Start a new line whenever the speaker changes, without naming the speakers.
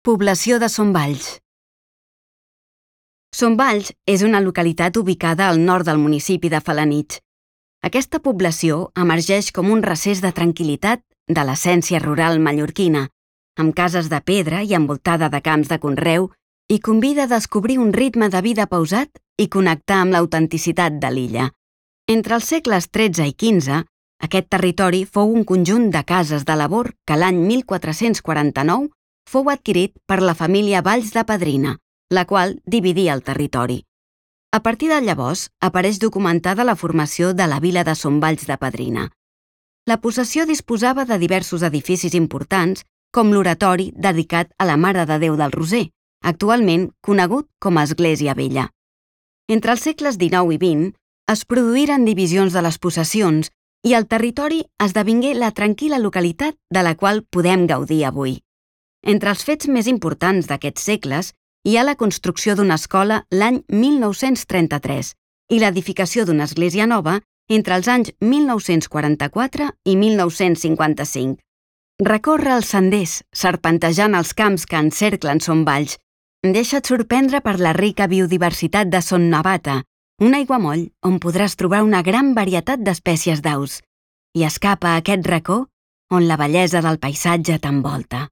Població de Son Valls. Son Valls és una localitat ubicada al nord del municipi de Felanitx. Aquesta població emergeix com un recés de tranquil·litat de l'essència rural mallorquina, amb cases de pedra i envoltada de camps de conreu, i convida a descobrir un ritme de vida pausat i connectar amb l'autenticitat de l'illa. Entre els segles XIII i XV, aquest territori fou un conjunt de cases de labor que l'any 1449 fou adquirit per la família Valls de Pedrina, la qual dividia el territori. A partir de llavors apareix documentada la formació de la vila de Son Valls de Pedrina. La possessió disposava de diversos edificis importants, com l'oratori dedicat a la Mare de Déu del Roser, actualment conegut com a Església Vella. Entre els segles XIX i XX es produïren divisions de les possessions i el territori esdevingué la tranquil·la localitat de la qual podem gaudir avui. Entre els fets més importants d'aquests segles hi ha la construcció d'una escola l'any 1933 i l'edificació d'una església nova entre els anys 1944 i 1955. Recorre els senders, serpentejant els camps que encerclen Son Valls. Deixa't sorprendre per la rica biodiversitat de Son Navata, un aiguamoll on podràs trobar una gran varietat d'espècies d'aus. I escapa a aquest racó on la bellesa del paisatge t'envolta.